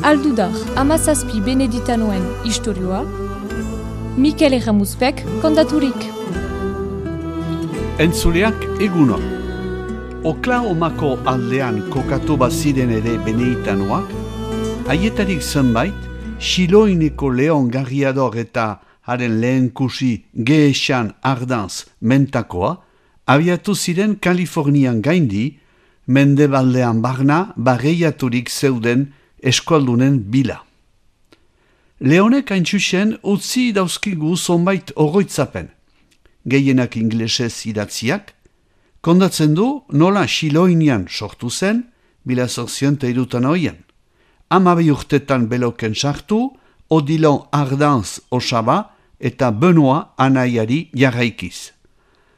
Aldudar, amazazpi beneditanoen istorioa, Mikel Erramuzpek kontaturik. Entzuleak eguno. Oklahomako aldean kokatu baziren ere beneditanoak, haietarik zenbait, Xiloineko Leon Garriador eta haren lehenkusi Gehesan Ardanz mentakoa, abiatu ziren Kalifornian gaindi, mendebaldean barna barreiaturik zeuden eskualdunen bila. Leonek haintxusen utzi dauzkigu zonbait oroitzapen, gehienak inglesez idatziak, kondatzen du nola Xiloinian sortu zen, 1863. 12 urtetan beloken sartu, Odilon Ardanz osaba eta Benoit anaiari jarraikiz.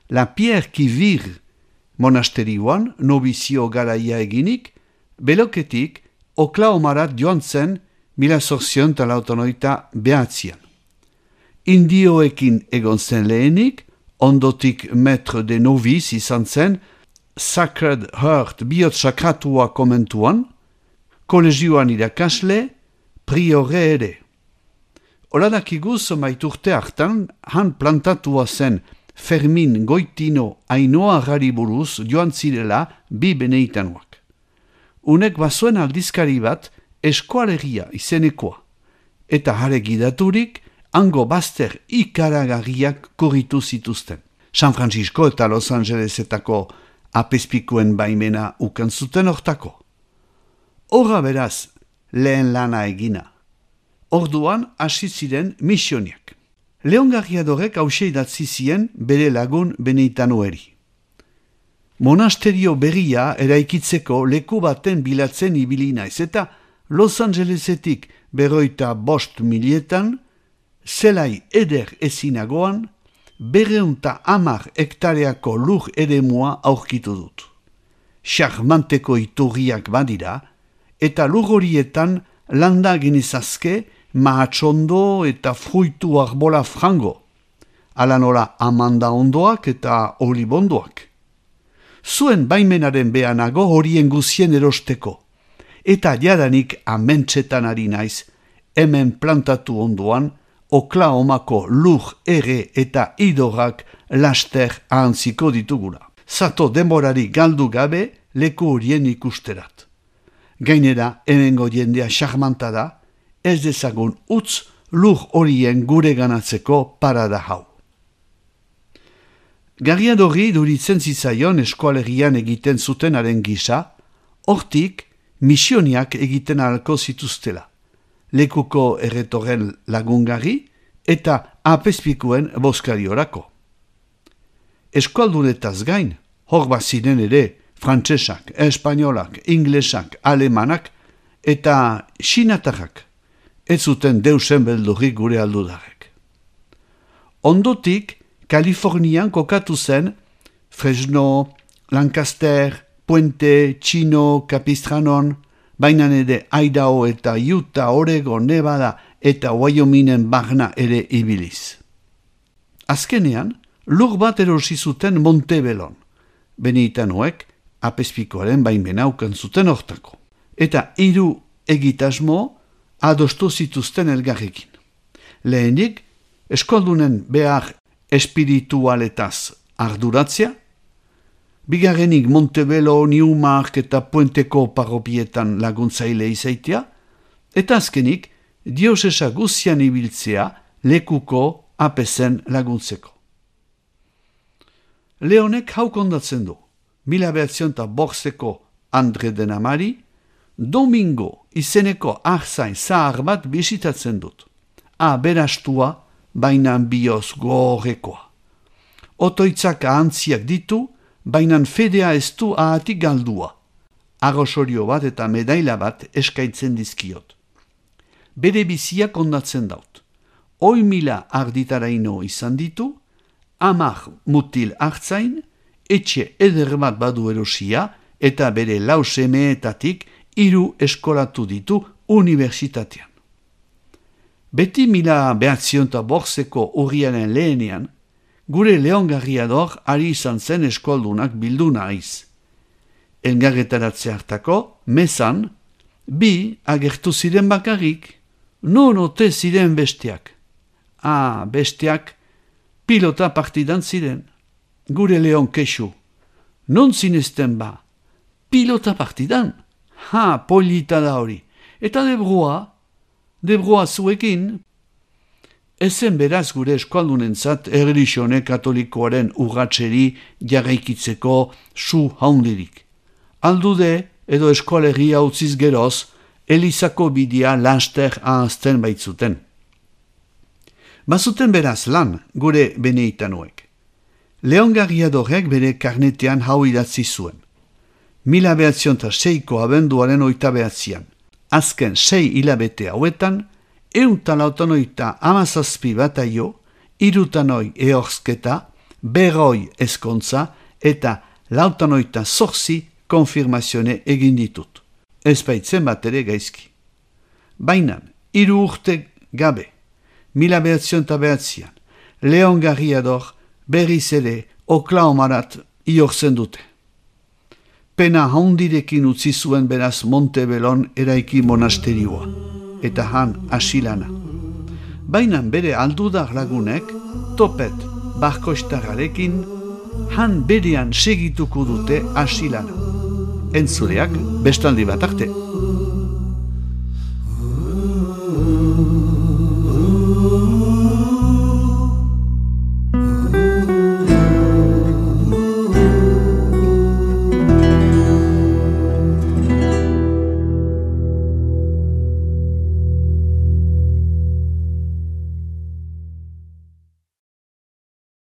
La Pierre qui Vire monasterioan nobizio garaia eginik, beloketik Oklahomarat joan zen 1889. Indioekin egon zen lehenik, ondotik maître de novice izan zen Sacred Heart bihotz sakratua komentuan, kolegioan irakasle, priore ere. Oladakigu zomait urte hartan, han plantatua zen Fermin Goitino Ainoa buruz joan zirela bi beneditanoak. Unek bazuen aldizkari bat Eskoalegia izenekoa, eta hare gidaturik hango bazter ikaragarriak korritu zituzten. San Francisco eta Los Angelesetako apezpikuen baimena ukan zuten hortako. Horra beraz lehen lana egina. Orduan hasi ziren misioniak. Leon Garriadorek hause idatzi zien bere lagun beneditanoeri. Monasterio berria eraikitzeko leku baten bilatzen ibili naiz eta Los Angelesetik 55.000 zelai eder ezinagoan 210 hektareako lur eremua aurkitu dut. Charmanteko iturriak badira eta lur horietan landa genizazke mahatsondo eta fruitu arbola frango, ala nola amanda ondoak eta olibondoak. Zuen baimenaren behanago horien guzien erosteko, eta jadanik amentsetan ari naiz, hemen plantatu ondoan, Oklahomako lur ere eta idorrak laster ahantziko ditugula. Zato denborari galdu gabe leku horien ikusterat. Gainera, hemengo jendea charmanta da, ez dezagun utz lur horien gure ganatzeko parada hau. Garriadorri duritzen zitzaion eskoalegian egiten zutenaren gisa, hortik misioniak egiten ahalko zituztela, lekuko erretorren lagungarri eta apezpikuen boskariorako. Eskualdunetaz gain, hor baziren ere frantsesak, espainolak, inglesak, alemanak eta xinatarrak, ez zuten deusen beldurrik gure aldudarek. Ondotik, Kalifornian kokatu zen Fresno, Lancaster, Puente, Chino, Capistranon, bainan ere Idaho eta Utah, Oregon, Nevada eta Wyomingen barna ere ibiliz. Azkenean, lur bat erosi zuten Montebellon, beneditanoek apezpikoaren baimena ukan zuten hortako. Eta 3 egitasmo adostu zituzten elgarrekin. Lehenik, eskoldunen behar espiritualetaz arduratzea, bigarrenik Montebello, Newmark eta Puenteko parropietan laguntzaile izaitea, eta azkenik diosesa guzian ibiltzea lekuko apezen laguntzeko. Leonek hau kondatzen du, 1905ko Andre Denamari, Domingo izeneko arzain zahar bat bisitatzen dut. Berastua, bainan bioz gorekoa. Otoitzak ahantziak ditu, bainan fedea ez du ahatik galdua. Arrosorio bat eta medaila bat eskaintzen dizkiot. Bere bizia kondatzen daut. 1.000 arditaraino izan ditu, 10 mutil hartzain, etxe eder bat badu erosia eta bere 4 semeetatik 3 eskolatu ditu unibertsitatean. Beti 1905ko urriaren lehenean, gure Leon Garriador ari izan zen eskoldunak bildu naiz. Elgarretaratze hartako, mezan, Bi agertu ziren bakarrik, non ote ziren besteak. Besteak pilota partidan ziren. Gure Leon kexu. Non zinezten ba? Pilota partidan? Polita da hori. Eta Debrua zuekin? Ezen beraz gure eskualdunentzat erlixione katolikoaren urratseri jarraikitzeko su haundirik. Aldude edo eskualegia utziz geroz, Elizako bidea laster ahazten baitzuten. Bazuten beraz lan gure Beneitanoek. Leon Garriadorek bere karnetean hau idatzi zuen. 1906ko abenduaren 29an. Azken 6 hilabete hauetan, 187 bataio, 3 ehorzketa, 200 ezkontza eta 98 konfirmazione egin ditut. Ez baitzen bat ere gaizki. Baina, 3 urte gabe, 1909an, Leon Garriador berriz ere Oklahomarat iortzen dute. Pena haundirekin utzi zuen beraz Montebellon eraiki monasterioa, eta han asilana. Baina bere aldudar lagunek, topet barkoistararekin, han berean segituko dute asilana. Entzuleak bestaldi bat arte.